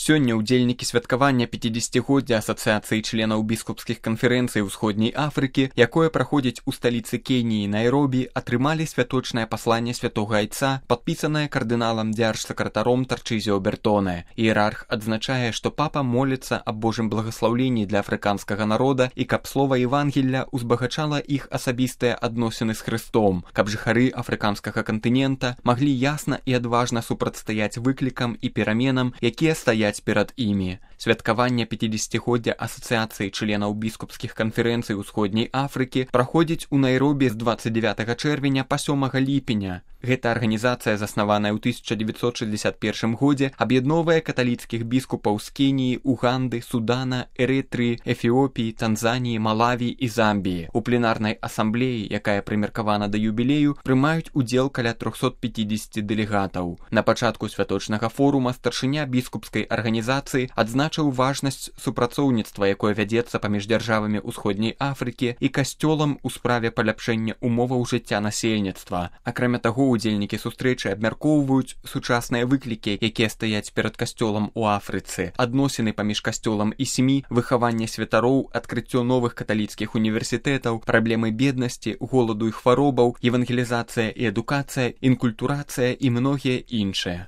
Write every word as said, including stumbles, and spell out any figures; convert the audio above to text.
Сёння ўдзельнікі святкавання пяцідзесяцігоддзя Асацыяцыі членаў біскупскіх канферэнцый Усходняй Афрыкі, якое праходзіць у сталіцы Кеніі Найробі, атрымалі святочнае пасланне святога айца, падпісанае кардыналам дзяржсакратаром Тарчызіо Бертоне. Іерарх адзначае, што папа моліцца аб Божым благаслаўленні для афрыканскага народа і каб слова Евангелля узбагачала іх асабістыя адносіны з Хрыстом, каб жыхары афрыканскага кантынента маглі ясна і адважна супрацьстаяць выклікам і пераменам, якія стаяць перад імі. Святкаванне пяцідзесяцігоддзя Асацыяцыі членаў біскупскіх канферэнцый Усходняй Афрыкі праходзіць у Найробі з дваццаць дзявятага чэрвеня па сёмага ліпеня. Гэта арганізацыя, заснаваная ў тысяча дзевяцьсот шэсцьдзясят першым годзе, аб'ядноўвае каталіцкіх біскупаў з Кеніі, Уганды, Судана, Эрытрыі, Эфіопіі, Танзаніі, Малаві і Замбіі. У пленарнай асамблеі, якая прымеркавана да юбілею, прымаюць удзел каля трохсот пяцідзесяці дэлегатаў. На пачатку святочнага форума старшыня біскупскай арганізацыі адзначыў важнасць супрацоўніцтва, якое вядзецца паміж дзяржавамі Усходняй Афрыкі і касцёлам у справе паляпшэння умоваў жыцця насельніцтва. Акрамя таго, удзельнікі сустрэчы абмяркоўваюць сучасныя выклікі, якія стаяць перад касцёлам у Афрыцы, адносіны паміж касцёлам і сем'і, выхаванне святароў, адкрыццё новых каталіцкіх універсітэтаў, праблемы беднасці, голаду і хваробаў, евангелізацыя і адукацыя, інкультурацыя і многія іншыя.